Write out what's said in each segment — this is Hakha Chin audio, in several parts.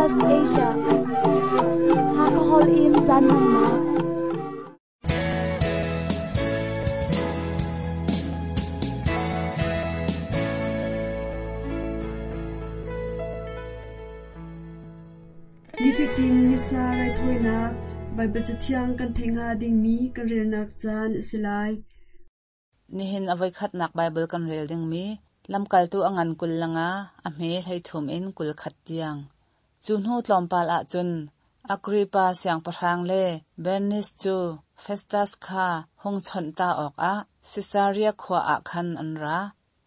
SBS Asia. Hakahol in caan hmannak. Nifatin Missa raithawinak Baibal Cathiang kan theih hnga dingmi kan relnak caan a si lai. Nihin a voikhatnak Baibal kan rel dingmi lamkaltu a ngan 25 a hme 33 in 21 tiang. Cu hnu tlawmpal ah cun Agrippa siangpahrang le Bernis cu Festas kha hung chawnh ta awkah Sisaria khua ah khan an ra.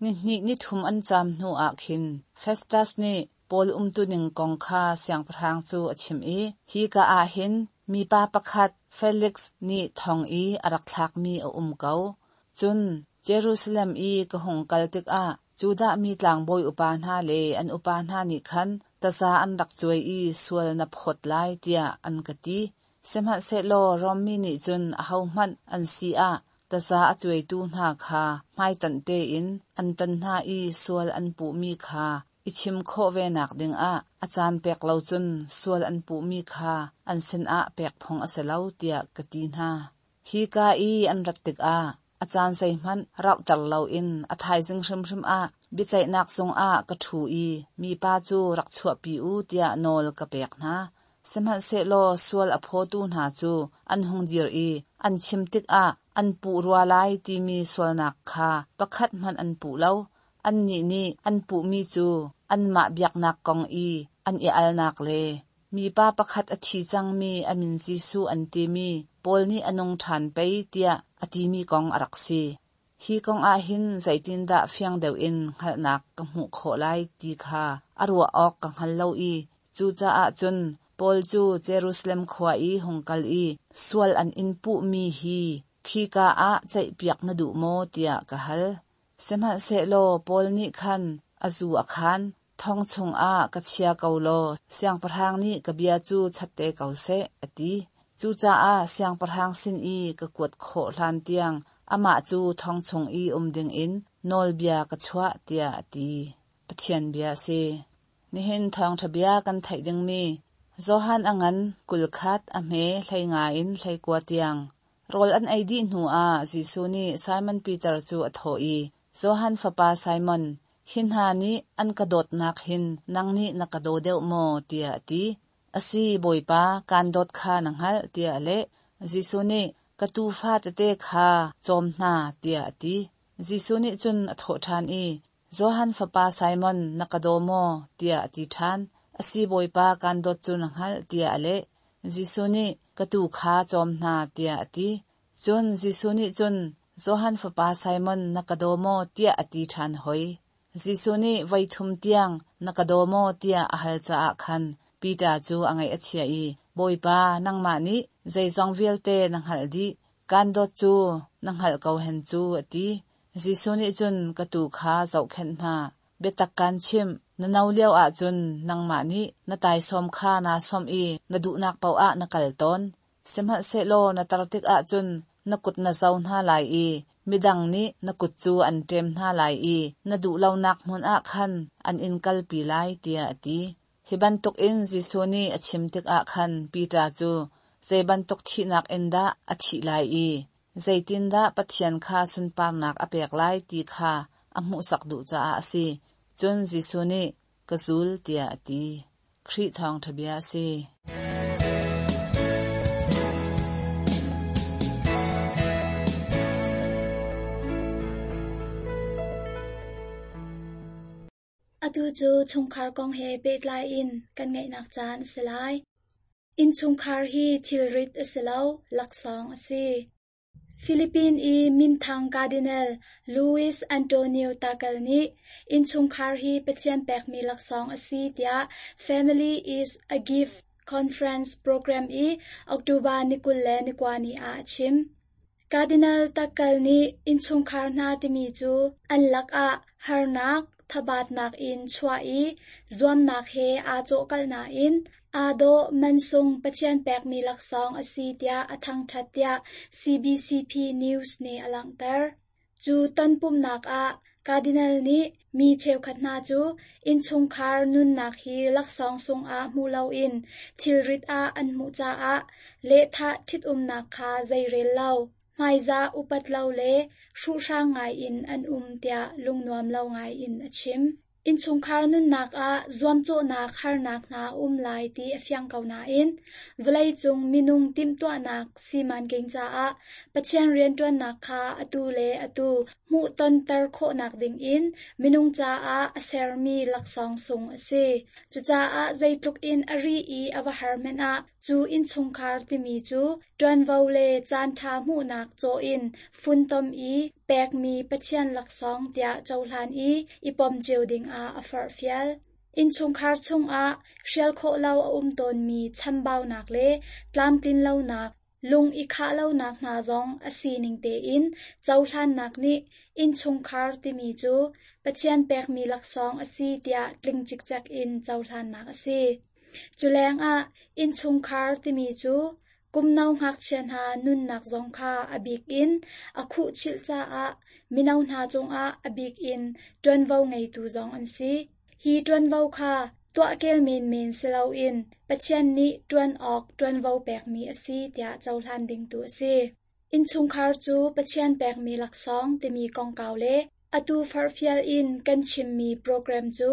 Nihnih nithum an caam hnuah khin Festas nih Paul umtuning kong kha siangpahrang cu a chimh i, Hika ah hin mipa pakhat Feliks nih thong i a rak thlakmi a um ko. Cun Jerusalem i ka hung kal tikah Judah mi tlangbawi upa hna le an upa hna nih khan taza an rak cuai i sual na phawt lai tiah an ka ti. Sihmanhsehlaw Rom mi nih cun ahohmanh an si ah taza a cuaitu hna kha hmaitonh tein an ton hna i sual an puhmi kha i chim khawh venak dingah a caan pek lo cun sual an puhmi kha an sinah pek phung a si lo tiah ka ti hna. Hika i an rat tikah a caan zeihmanh rauhter loin a thaizing hrimhrim ah biaceihnak zungah ka ṭhu i mipa cu rak chuahpi u tiah nawl ka pek hna. Sihmanhsehlaw sual a phawtu hna cu an hung dir i an chim tikah an puh rua lai timi sualnak kha pakhat hmanh an puh lo. Annih nih an puhmi cu anmah biaknak kong i an i alnak le mipa pakhat a thi cangmi a min Jesuh an timi Paul nih a nung ṭhan pei tiah a timi kong a rak si. Hi kong ah hin zeitindah fiang deuh in hngalhnak ka hmuh khawh lai ti kha a ruah awk ka hngal lo i cucaah cun Paul cu Jerusalem khua i hung kal i sual an in puhmi hi khika ah ceihpiak na duh maw tiah ka hal. Sihmanhsehlaw Paul nih khan a zu a khaan, thong chungah ka chia ko law siangpahrang nih ka bia cu chat te ko seh, a ti. Cucaah siangpahrang sin i ka kuat khawh hlantiang amah cu thong chung i um dingin nawlbia ka chuah, tiah a ti. Pathian bia a si. Nihin thawngṭha bia kan theih dingmi Johan a ngan 21 a hme 15 in 19 tiang. Rawl an ei dih hnuah Jesuh nih Simon Peter cu a thawh i, Johan fapa Simon, hi hna nih an ka dawtnak hin nang nih na ka daw deuh maw? tiah a ti. A si, Bawipa, kaan dawt kha na hngalh, tiah a leh. Jesuh nih, Ka tuufa tete kha cawm hna, tiah a ti. Jesuh nih cun a thawh ṭhan i, Johan fapa Simon, na ka daw maw? tiah a ti ṭhan. A si, Bawipa, kaan dawt cu na hngalh, tiah a leh. Jesuh nih, Ka tuu kha cawm hna, tiah a ti. Cun Jesuh nih cun, Johan fapa Simon, na ka daw maw? tiah a ti ṭhan hoi. Jesuh nih voi thum tiang, na ka daw maw? tiah a hal caah khan Peter cu a ngaih a chia i, Bawipa, nangmah nih zeizong vialte na hngalh dih. Kaan dawt cu na hngalh ko hen cu, a ti. Jesuh nih cun, Ka tuu kha zohkhenh hna. Biatak kaan chimh, na no lio ahcun nangmah nih na taisawm kha naa sawmh i na duhnak paoh ah na kal tawn. Sihmanhsehlaw na tar tikah cun na kut na zo hna lai i midang nih na kut cu an ṭem hna lai i na duh lonak hmun ah khan an in kalpi lai, tiah a ti. Hi bantukin Jesuh nih a chim tikah khan Peter cu zei bantuk thihnak in dah a thih lai i zeitindah Pathian kha sunparnak a pek lai ti kha a hmuhsak duh caah a si. Cun Jesuh nih, Ka zul, tiah a ti. Khrih thawngṭha bia a si. Atu cu chungkhar kong he pehtlai in kan ngaihnak caan a si lai. Innchungkhar hi thilrit a si lo, laksawng a si. Philippine i minthang Cardinal Luis Antonio Tagle nih innchungkhar hi Pathian pekmi laksawng a si tiah Family is a Gift Conference program i October ni 29 ni ah a chim. Cardinal Tagle nih innchungkhar hna timi cu an lakah harnak, thabatnak in chuah i zuamnak he aa cawhkalh nain aa dawh mansung Pathian pekmi laksawng a si tiah a thangṭhat tiah CBCP News nih a langhter. Cu tonpumhnak ah Cardinal nih mi cheukhat hna cu innchungkhar nunnak hi laksawng sungah hmu loin thilrit ah an hmuh caah lehthah ṭhitumnak kha zeirel lo, hmaizah upat lo le hruhhrang ngaiin an um tiah lungnuam lo ngaiin a chim. Innchungkhar nunnak ah zuamcawhnak harnak hna a um lai ti a fiang ko nain vawleicung minung timhtuahnak simanking caah Pathian rianṭuannak kha atu le atu hmuhtonter khawhnak dingin minung caah a sermi laksawng sung a si. Cucaah zeitluk in a ri i a va har hmanh ah cu innchungkhar timi cu ṭuanvo le caanṭha hmuhnak caw in funtom i pekmi Pathian laksawng tiah cohlan i i pom cio dingah a forhfial. Innchungkhar chungah hrial khawh lo a um tawnmi chambaunak le tlamtlinlonak, lung i khah lonak hna zong a sining tein cohlannak nih innchungkhar timi cu Pathian pekmi laksawng a si tiah tling cikcek in cohlannak a si. Cu lengah innchungkhar timi cu Kumno ngakchia hna nunnak zong kha a bik in a khuhchilh caah mino hna cungah a bik in ṭuanvo ngeitu zong an si. Hi ṭuanvo kha tuahkel menmen si loin Pathian nih ṭuan awk ṭuanvo pekmi a si tiah cohlan ding tu a si. Innchungkhar cu Pathian pekmi laksawng timi kongkau le atu forhfial in kan chimmi program cu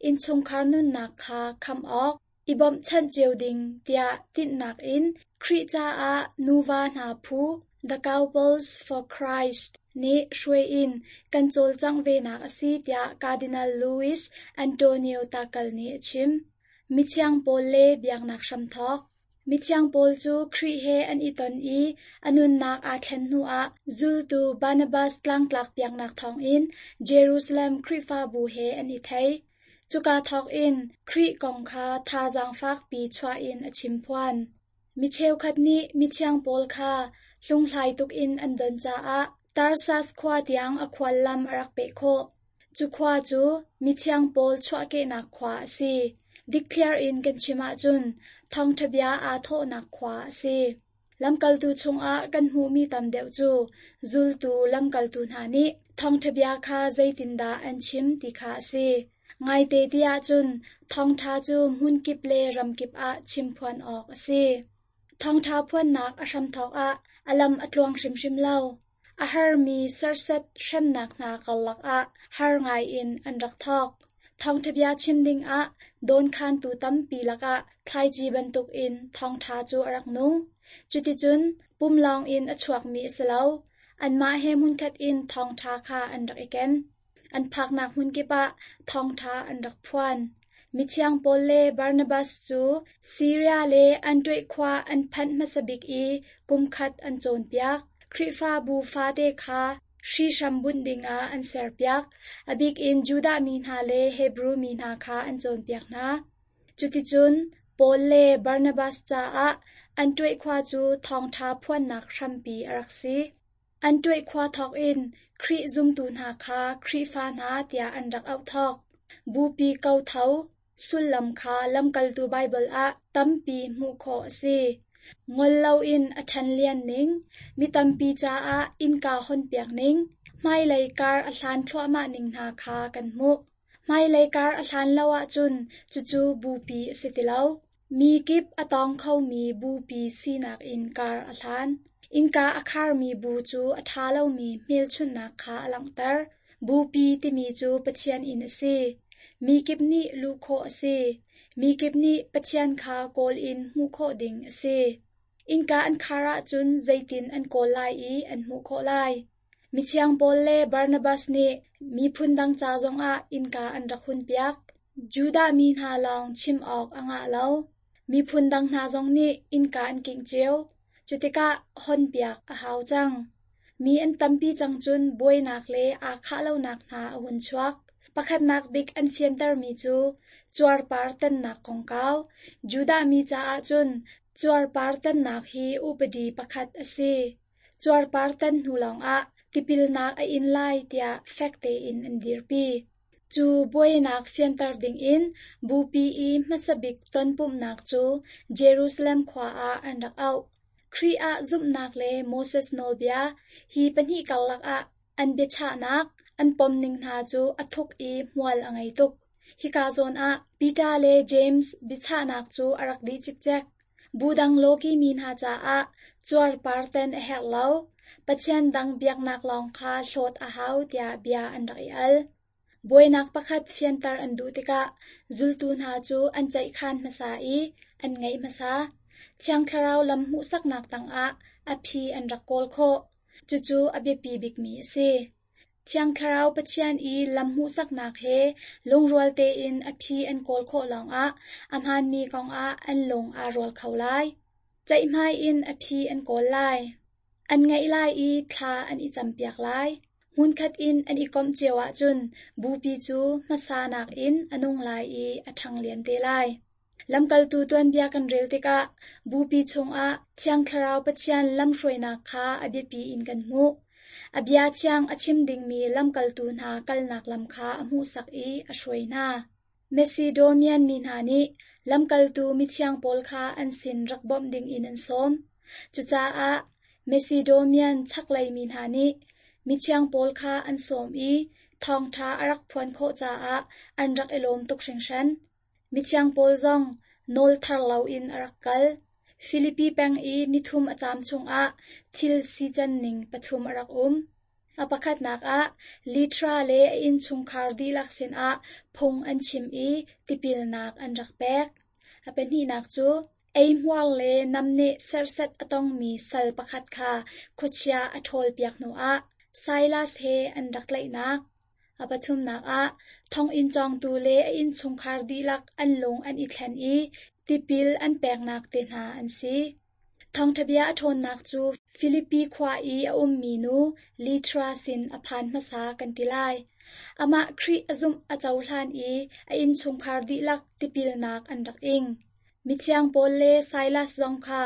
innchungkhar nunnak kha khamh awk, i bawmhchanh cio ding tiah tinhnak in Khrih caah nuva hna phu The Couples for Christ nih hruai in kan cawlcangh venak a si tiah Cardinal Luis Antonio Tagle nih a chim. Mithiang Paul le biaknak hramthawk Mithiang Paul cu Khrih he an i ton i a nunnak aa thlen hnuah zultu Barnabas tlangtlak piaknak thawngin Jerusalem Khrihfabu he an i thei. Cuka thawkin Khrih kong kha thazaang fakpi chuah in a chimphuan. Mi cheukhat nih mithiang pawl kha hlunghlai tuk in an don caah Tarsas khua tiang a khuallam a rak peh khawh. Cu khua cu mithiang pawl chuahkehnak khua a si. Dikthliar in kan chim ahcun thawngṭha bia aa thawhnak khua a si. Lamkaltu chungah kan hmuhmi tam deuh cu zultu lamkaltu hna nih thawngṭha bia kha zeitindah an chim ti kha a si. Ngaite ti ahcun thawngṭha cu hmunkip le ramkip ah chimphuan awk a si. Thawngṭha phuannak a hramthawk ah a lam a tluang hrimhrim lo. A harmi serhsat hremnak hna karlak ah har ngaiin an rak thawk. Thawngṭha bia chim dingah dawnkhantu tampi lakah thlaici bantukin thawngṭha cu a rak nung. Cuticun pum lawngin a chuakmi a si lo, anmah he hmunkhat in thawngṭha kha an rak i ken. An phaknak hmunkip ah thawngṭha an rak phuan. Mithiang Paul le Barnabas cu Siria le Antioch khua an phanh hmasa bik i kumkhat an cawnpiak. Khrihfabu fate kha hrihhram bunh dingah an serpiak, a bik in Judah mi hna le Hebru mi hna kha an cawnpiak hna. Cuticun Paul le Barnabas caah Antioch khua cu thawngṭha phuannak hrampi a rak si. Antioch khua thawkin Khrih zumtu hna kha Khrihfa hna tiah an rak auh thawk. Bupi kotho sullam kha lamkaltu Baibal ah tampi hmuh khawh a si. Ngol loin a ṭhanlian ning, mi tampi caah innka hawnpiak ning, hmailei kar a hlan thluahmah ning hna kha kan hmuh. Hmailei kar a hlan lo ahcun cucu bupi a si ti lo. Mi kip a tawng khomi bupi sinak in kar a hlan. Innka a kharmi bu cu a ṭha lomi hmelchunhnak kha a langhter. Bupi timi cu Pathian inn a si. Mi kip nih luh khawh a si. Mi kip nih Pathian kha kawl in hmuh khawh ding a si. Innka an khar ahcun zeitin an kawl lai i an hmuh khawh lai? Mithiang Paul le Barnabas nih miphun dang ca zongah innka an rak hunpiak. Judah mi hna lawng chim awk a ngah lo. Miphun dang hna zong nih innka an kingh cio. Cutikah honpiak a hau cang. Mi an tampi cang cun buainak le aa khah lonak hna a hun chuak. Pakhatnak bik an fiantermi cu cuarpar tannak kongkau. Judah mi caah cun cuarpar tannak hi upadi pakhat a si. Cuarpar tan hnu lawngah tipilnak a in lai tiah fek tein an dirpi. Cu buainak fianter dingin Bupi i hmasa bik tonpumhnak cu Jerusalem khua ah an rak auh. Khrih ah zumhnak le Moses Nawlbia, hi pahnih karlak ah an biachahnak An pomning hna cu a thuk i hmual a ngei tuk. Hika zawn ah Peter le James biachahnak cu a rak dih cikcek. Bu dang lawki mi hna caah cuarpar ten a herh lo, Pathian dang biaknak lawng kha hlawt a hau tiah bia an rak i al. Buainak pakhat fianter an duh tikah zultu hna cu an ceihkhan hmasa i an ngaih hmasa. Thiang Thlarau lam hmuhsaknak tangah a phi an rak kawl khawh. Cucu a biapi bikmi a si. Thiang Thlarau Pathian i lam hmuhsaknak he lungrual tein a phi an kawl khawh lawngah a hmaanmi kongah an lung aa rual kho lai. Ceihmai in a phi an kawl lai. An ngaih lai i thla an i campiak lai. Hmunkhat in an i komh cio ahcun bupi cu hmasa nakin a nung lai i a ṭhang lian te lai. Lamkaltu tuanbia kan rel tikah bupi chungah Thiang Thlarau Pathian lamhruainak kha a biapi in kan hmuh. A bia thiang a chim dingmi lamkaltu hna kalnak lam kha a hmuhsak i a hruai hna. Macedonian mi hna nih lamkaltu mithiang pawl kha an sin rak bawmh dingin an sawm. Cucaah Macedonian chaklei mi hna nih mithiang pawl kha an sawm i thawngṭha a rak phuan khawh caah an rak i lawm tuk hringhran. Mithiang Paul zong nawl thar loin a rak kal. Filipi peng i nithum a caam chungah thil sican ning pathum a rak um. A pakhatnak ah, Litra le a innchungkhar dihlak sinah phung an chim i tipilnak an rak pek. A pahnihnak cu, eihmuar le namneh serhsat a tongmi sal pakhat kha khuachia a ṭhawlpiak hnuah Silas he an rak tlaihnak. A pathumnak ah, thonginn cawngtu le a innchungkhar dihlak an lung an i thlen i tipil an peknak te hna an si. Thawngṭha bia a ṭhawnnak cu Filipi khua i a ummi nu Litra sin a phan hmasa kan ti lai. Amah Khrih a zumh a cohlan i a innchungkhar dihlak tipilnak an rak ing. Mithiang Paul le Silas zong kha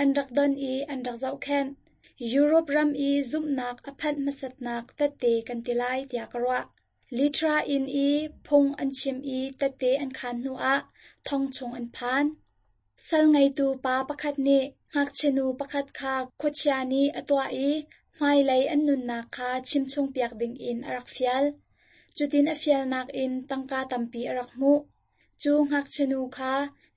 an rak don i an rak zohkhenh. Europe ram i zumhnak a phanh hmasatnak tette kan ti lai tiah ka ruah. Litra inn i phung an chim i tette an khaan hnuah thong chung an phan. Sal ngeitu pa pakhat nih ngakchianu pakhat kha khuachia nih a tuah i hmailei an nunnak kha chimchungpiak dingin a rak fial. Cutin a fialnak in tangka tampi a rak hmuh. Cu ngakchianu kha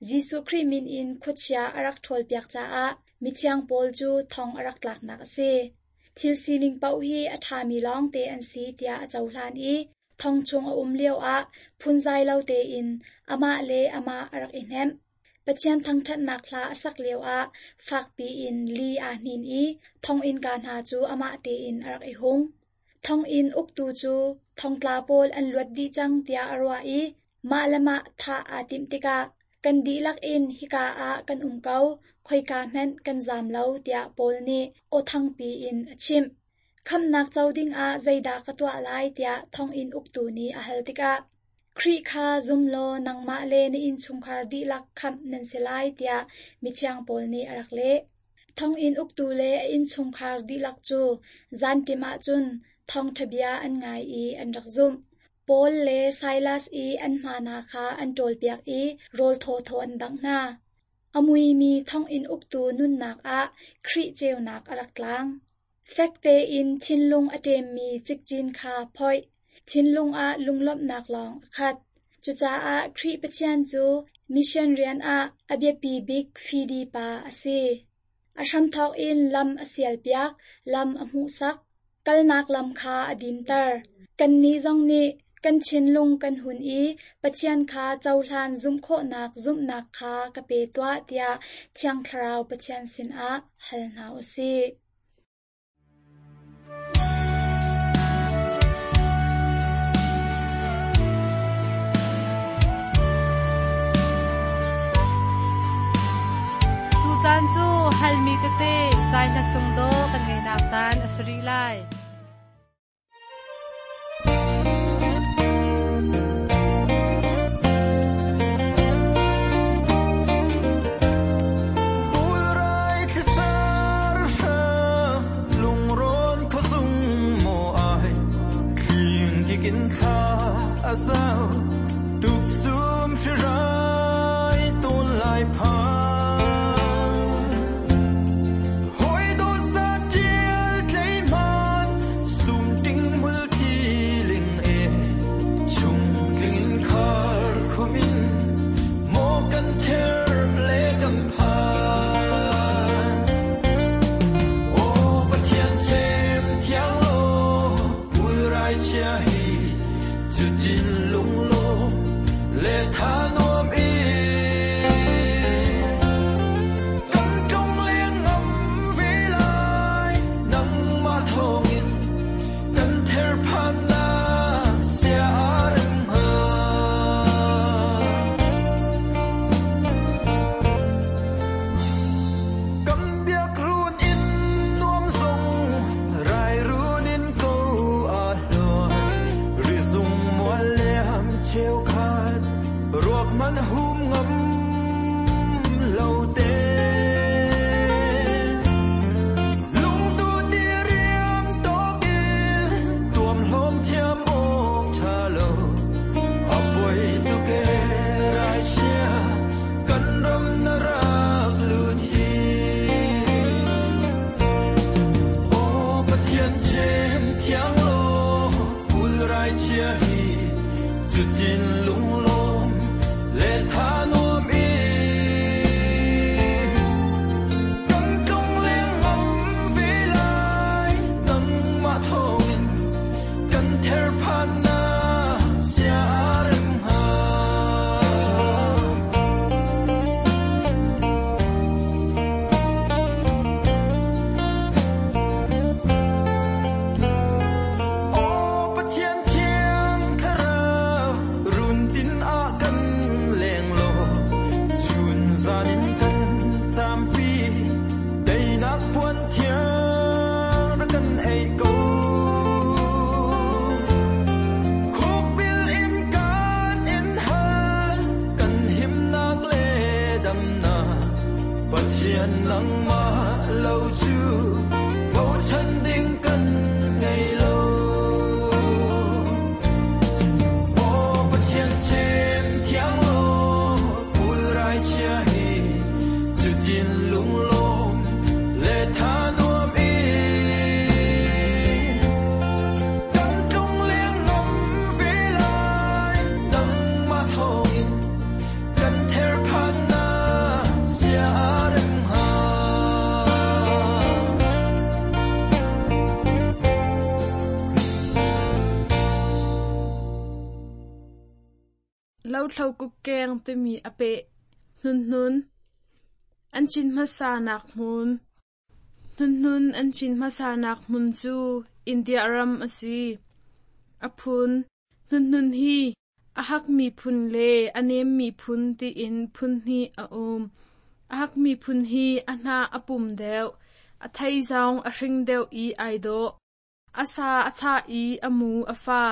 Jesuh Khrih min in khuachia a rak ṭhawlpiak caah mithiang Paul cu thong a rak tlaknak a si. Thil sining paoh hi a ṭhami lawngte an si tiah a cohlan i thong chung a um lioah phunzai lo tein amah le amah a rak i hnemh. Pathian thangṭhatnak hla a sak lioah fakpi in li aa hnin i thonginnka hna cu amah tein a rak i hung. Thonginn uktu cu thongtla pawl an luat dih cang tiah a ruah i mah le mah thah aa timh tikah kan dihlak in hika ah kan um ko, khoika hmanh kan zaam lo tiah Paul nih aw thangpi in a chimh. Khamhnak co dingah zeidah ka tuah lai tiah thonginn uktu nih a hal tikah Khrih kha zum law nangmah le na innchungkhar dihlak khamh nan si lai tiah mithiang Paul nih a rak leh. Thonginn uktu le a innchungkhar dihlak cu zanṭim ah cun thawngṭha bia an ngai i an rak zumh. Paul le Silas i an hma hna kha an ṭawlpiak i rawl thawthaw an dangh hna. A muimi thonginn uktu nunnak ah Khrih ceunak a rak tlang. Fek tein thinlung a ṭemmi cikcin kha phoih. Thinlung ah lunglawmhnak lawng a khat. Cucaah Khrih Pathian cu mission rian ah a biapi bik fidi pa a si. A hramthawk in lam a sialpiak, lam a hmuhsak, kalnak lam kha a dinter. Kannih zong nih kan thinlung kan hun i Pathian kha cohlan zumh khawhnak zumhnak kha ka pe tuah tiah Thiang Thlarau Pathian sinah hal hna u sih. Tucaan cu halmi tete zai hla sung dawh kan ngeihnak caan a si rih lai. Pathian nangmah lo cu bochan ding kan ngei lo. Maw Pathian chim thiang law pulrai chia hi cutin lunglawm le tha nuam in kan tlung leng ngam ve lai nangmah thawngin kan therphannak sia rem hnga. Lothlo kukkeng timi a peh. Hnunhnun an cin hmasanak hmun. Hnunhnun an cin hmasanak hmun cu India ram a si. A phun Hnunhnun hi a hakmi phun le a nemmi phun tiin phun hnih a um. A hakmi phun hi a hnah a pum deuh, a thei zong a hring deuh i ai dawh. A sa a chah i a mu a fa.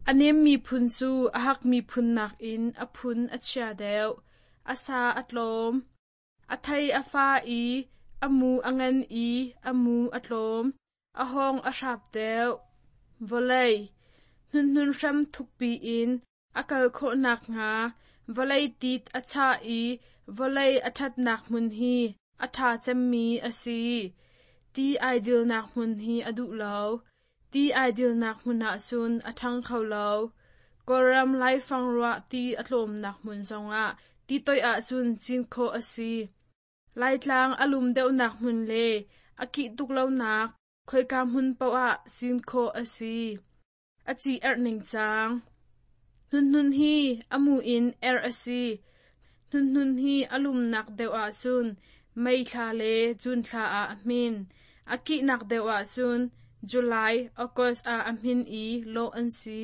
A nemmi phun cu a hakmi phun nakin a phun a chia deuh. A sa a tlawm. A thei a fa i a mu a ngan i a mu a tlawm. A hawng a hrap deuh. Vawlei hnunhnun hram thukpi in a kal khawh nakhnga vawlei tit a chah i vawlei a ṭhatnak hmun hi a ṭha cemmi a si. Ti ai dilnak hmun hi a duh lo. Ti ai dilnak hmun ah cun a ṭhang kho lo. Kawlram laifang ruah ti a tlawmnak hmun zongah ti toih ahcun cin khawh a si. Laitlang a lum deuhnak hmun le a kih tuk lonak khoika hmun paoh ah cin khawh a si. A ci erh ningcang. Hnunhnun hi a mu in erh a si. Hnunhnun hi a lumnak deuh ahcun May thla le June thla ah a hmin. A kihnak deuh ahcun July, August ah a hmin i lawh an si.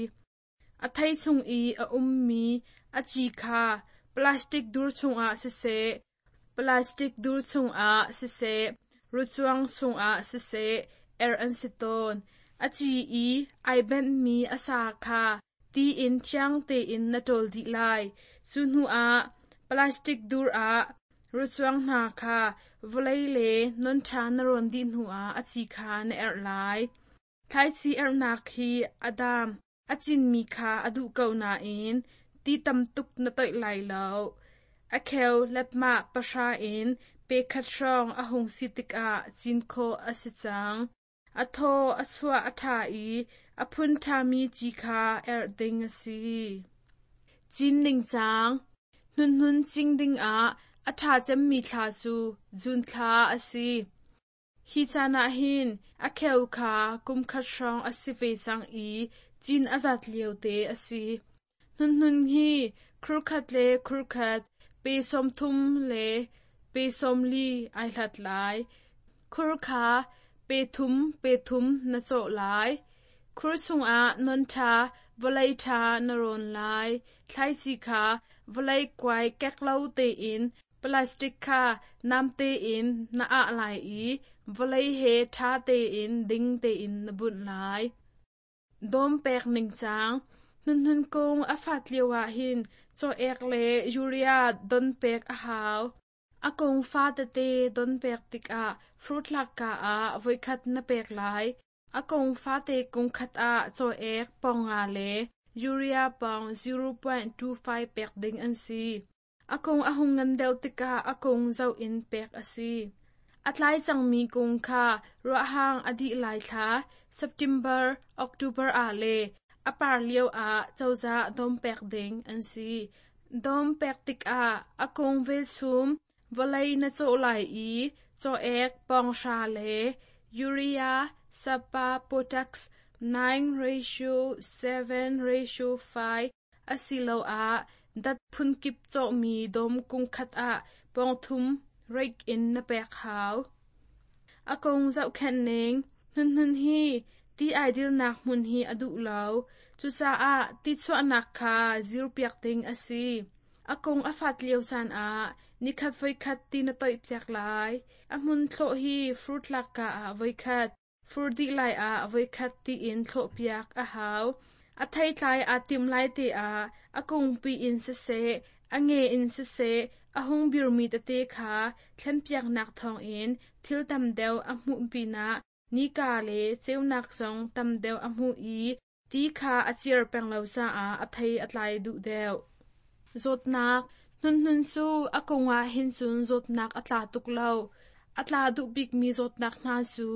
A thei chung i a ummi a ci kha plastic dur chungah siseh, plastic dur chungah siseh, rucuang chungah siseh erh an si tawn. A ci i ai benhmi a sa kha ti in thiang tein na ṭawl dih lai. Cu hnuah plastic dur ah rucuang hna kha vawlei le non ṭha na rawn dih hnuah a ci kha na erh lai. Thlaici erhnak hi a dam a cinmi kha a duh ko nain ti tam tuk na toih lai lo. A kheu letmah pahra in pe khat hrawng a hung si tikah cin khawh a si cang. A thaw a chuah a ṭha i a phun ṭhami ci kha erh ding a si. Cin ningcang Hnunhnun cing dingah a ṭha cemmi thla cu June thla a si. Hi caan ah hin a kheu kha kum khat hrawng a si ve cang i cin a zat liote a si. Hnunhnun hi khurkhat le khurkhat pe 30 le pe 40 ai hlat lai. Khur kha pe thum pe thum na cawh lai. Khur chungah non ṭha vawlei ṭha na rawn lai. Thlaici kha vawlei kuai kek lo tein Plastic kha namte in na ah lai i vawlei he ṭha tein ding tein na bunh lai. Dawm pek ningcang Hnunhnun kung a fat lio ahhin caw-ek le urea don pek a hau. A kung fa tete don pek tikah fruit lak ah voikhat na pek lai. A kung fate kung khat ah caw-ek pawng nga le urea pawng 0.25 pek ding an si. A kung a hung ngan deuh tikah a kung zoh in pek a si. A tlai cangmi kung kha ruahhang a dih lai thla September, October ah le a par lio ah cozah dawm pek ding an si. Dawm pek tikah a kung velchum vawlei na cawh lai i caw-ek pawnghra le urea sapa potax 9 ratio 7 ratio 5 asiloah dat phunkip cawhmi dawm kung khat ah pawngthum rake in na pek hau. A kung zohkhenh ning Hnunhnun hi ti ai dilnak hmun hi a duh lo. Cucaah ti chuahnak kha zirpiak ding a si. A kung a fat lio caan ah nikhat voikhat ti na toihpiak lai. A hmun thlawh hi fruit lakka ah voikhat, Fur dih lai ah voikhat tiin thlawhpiak a hau. A theitlai aa timh lai te ah a kungpi in siseh, a nge in siseh, A hung birmi tete kha thlenpiaknak thawngin thil tam deuh a hmuh pinah nika le ceunak zong tam deuh a hmuh i ti kha a ciar peng lo caah a thei a tlai duh deuh. Zawtnak Hnunhnun cu a kung ah hin cun zawtnak a tla tuk lo. A tla duh bikmi zawtnak hna cu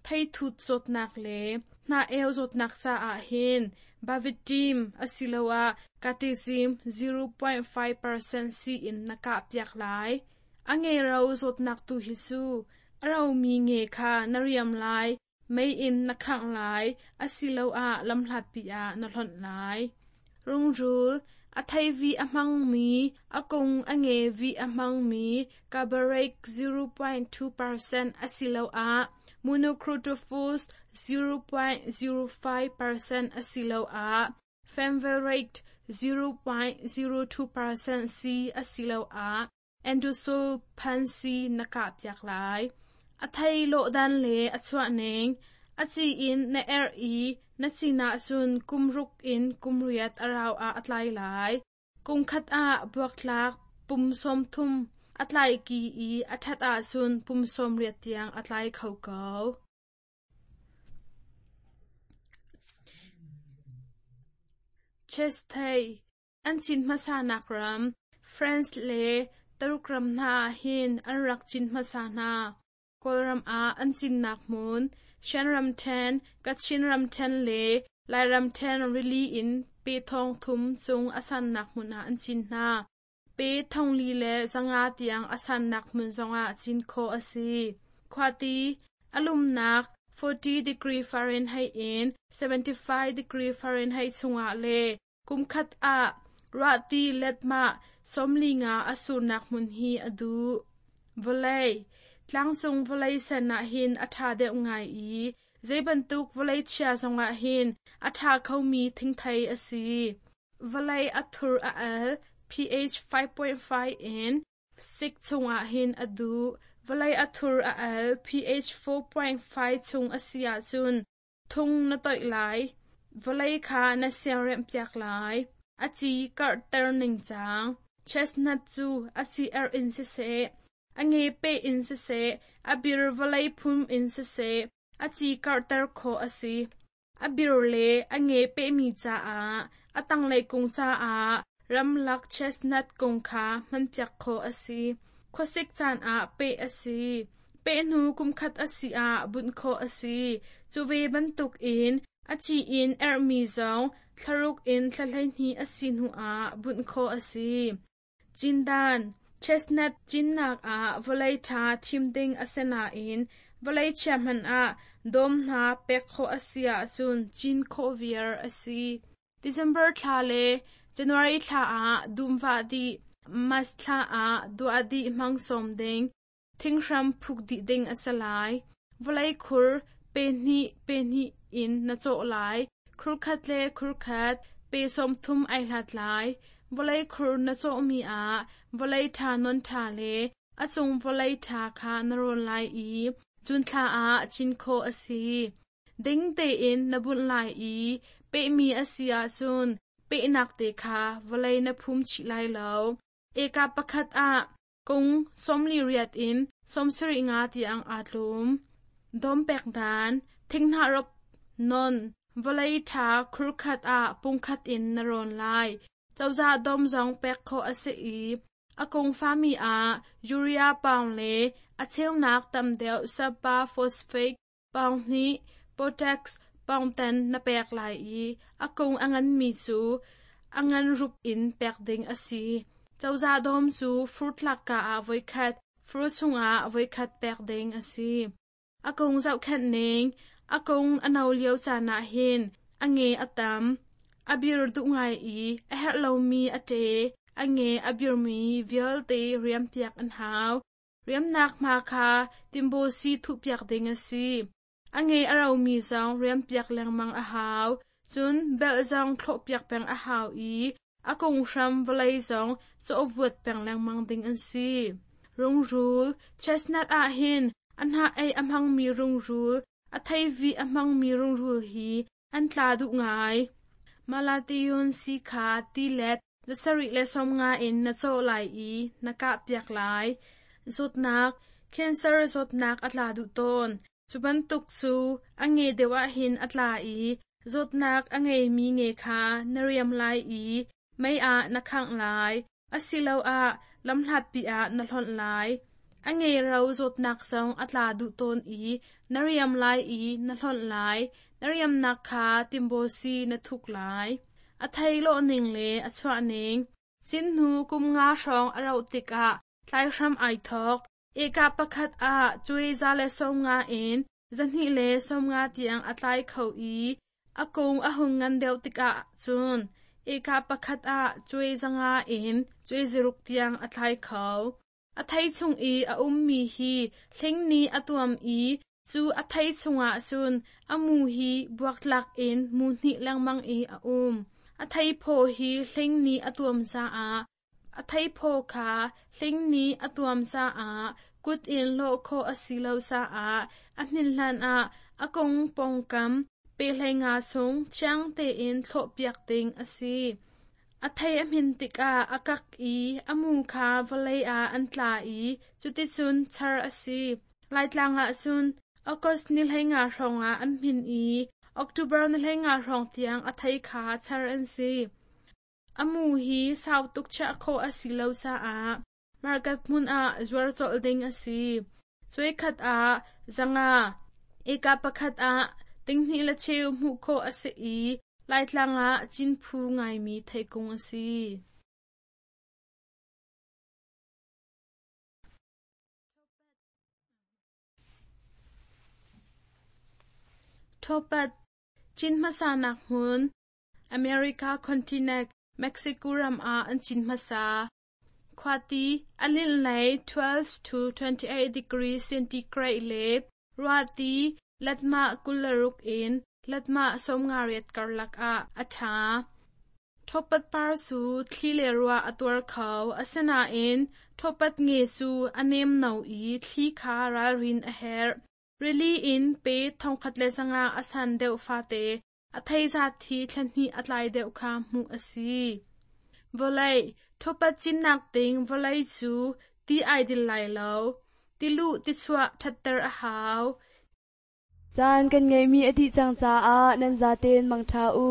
theithut zawtnak le hnah-eu zawtnak caah hin Bavitim asiloah Catizim 0.5% sii in na kahpiak lai. A nge-ro zawtnak tu hi cu a romi nge kha na riam lai, mei in na khangh lai asiloah lamhlatpi ah na hlonh lai. Rungrul, a theivi a hmangmi, a kung a nge vih a hmangmi Carbohydrate 0.2% asiloah Monocrotophos 0.05% asiloah Fenvalerate 0.02% sii asiloah Endosulfan sii na kahpiak lai. A thei lawhdan le a chuahning, a ci in na erh i na cin ahcun kum ruk in kum riat a rau ah a tlai lai. Kum khat ah buaktlak pum 30 a tlai ki i a ṭhat ahcun pum 80 tiang a tlai kho ko. Chesthei An cin hmasanak ram France le Taruk ram hna ah hin an rak cin hmasa hna. Kawlram ah an cinnak hmun Shan ramṭhen, Kachin ramṭhen le Lai ramṭhen rili in pe 3,000 cung a sannak hmun ah an cin hna. Pe 4,500 tiang a sannak hmun zongah cin khawh a si. Khuati a lumnak 40 degree Fahrenheit in 75 degree Fahrenheit chungah le Kumkhat ah ruahti letmah 45 a surnak hmun hi a duh. Vawlei Tlangcung vawlei sen ah hin a ṭha deuh ngai i zeibantuk vawlei chia zongah hin a ṭha khomi thingthei a si. Vawlei a thur a al pH 5.5 in 6 chungah hin a duh. Vawlei a thur a al pH 4.5 chung a si ahcun Thung na toih lai, vawlei kha na siaremhpiak lai. A ci karhter ningcang. Chestnut cu a ci erh in siseh, a nge peh in siseh, a bir vawlei phum in siseh, a ci karhter khawh a si. A bir le a nge pehmi caah, a tanglei kung caah ramlak chestnut kung kha hmanpiak khawh a si. Khuasik caan ah peh a si. Peh hnu kumkhat a si ah bunh khawh a si. Cu ve bantukin a ci in erhmi zong thlaruk in thla 12 a si hnu ah bunh khawh a si. Cindan Chestnut cinnak ah vawlei ṭha thim ding a si nain vawlei chia hmanh ah dawm hna pek khawh a si ahcun cin khawh viar a si. December thla le January thla ah dum vah dih, March thla ah duah dih hmang sawm ding, thinghram phuk dih ding a si lai. Vawlei khur pe hnih pe hnih in na cawh lai. Khur khat le khur khat pe 30 ai hlat lai. Vawlei khur na cawhmi ah vawlei ṭha non ṭha le a cung vawlei ṭha kha na rawn lai i cun thla ah cin khawh a si. Ding tein na bunh lai i pehmi a si ahcun pehnak te kha vawlei na phum chih lai lo. Eka pakhat ah kung 48 in 75 tiang aa tlum. Dawm pek dan, thinghnah rop non, vawlei ṭha khurkhat ah pungkhat in na rawn lai. Cozah dawm zong pek khawh a si i a kung fami ah urea paung le a cheunak tam deuh sapa phosphate paung hnih, potash paung ten na pek lai i a kung a nganmi cu a ngan rup in pek ding a si. Cozah dawm cu fur tlakka ah voikhat, fur chungah voikhat pek ding a si. A kung zohkhenh ning, a kung a no lio caan ah hin a nge a tam, a bir duh ngai i a herh lomi a ṭe, a nge a birmi vialte riampiak an hau. Riamnak hma kha timbaw sii thuhpiak ding a si. A nge a romi zong riampiak lengmang a hau. Cun belh zong thlawhpiak peng a hau i a kung hram vawlei zong cawhvuat peng lengmang ding an si. Rungrul, chestnut ah hin a hnah ei a hmangmi rungrul, a theivi a hmangmi rungrul hi an tla duh ngai. Malathion sii kha ti let 750 in na cawh lai i na kahpiak lai. Zawtnak, cancer zawtnak a tla duh tawn. Cu bantuk cu a nge deuh ahhin a tla i zawtnak a ngeimi nge kha na riam lai i mei ah na khangh lai, asiloah lamhlatpi ah na hlonh lai. A nge ro zawtnak zong a tla duh tawn i na riam lai i na hlonh lai, na riamnak kha timbawsi na thuk lai. A thei lawhning le a chuahning. Cin hnu kum nga hrawng a rauh tikah tlai hram ai thawk. Eka pakhat ah cuai 150 in 250 tiang a tlai kho i a kung a hung ngan deuh tikah cun eka pakhat ah cuai 500 in cuai 600 tiang a tlai kho. A thei chung i a ummi hi hling nih a tuam i cu a thei chungah cun a mu hi buaktlak in mu hnih lengmang i a um. A theiphaw hi hling nih a tuam caah a theiphaw kha hling nih a tuam caah kut in lawh khawh a si lo caah a hnin hlanah a kung pawngkam pe 15 chung thiang tein thlawhpiak ding a si. A thei a hmin tikah a kak i a mu kha vawlei ah an tla i cuticun char a si. Laitlang ah cun August ni 15 hrawngah an hmin i October ni 15 hrawng tiang a thei kha char an si. A mu hi sau tuk chiah khawh a si lo caah market hmun ah zuar colh ding a si. Cuai khat ah 500, eka pakhat ah 2.5 hmuh khawh a si i Laitlang ah cin phu ngaimi theikung a si. Thopat, cin hmasanak hmun, America continent, Mexico ram ah an cin hmasa. Khuati a linh lei 12 to 28 degree centigrade le ruahti letmah 26 in letmah 58 karlak ah a ṭha. Thopat par cu thli le ruah a tuar kho, asinain thopat nge cu a nemno i thli kha ralrin a herh. Rili in pe 1500 a san deuh fate a thei zat hi thla hnih a tlai deuh kha hmuh a si. Vawlei, thopat cinnak ding vawlei cu ti ai dil lai lo. Tiluh tichuah ṭhatter a hau. Caan kan ngeihmi a dih cang caah nan zaten mangṭha u.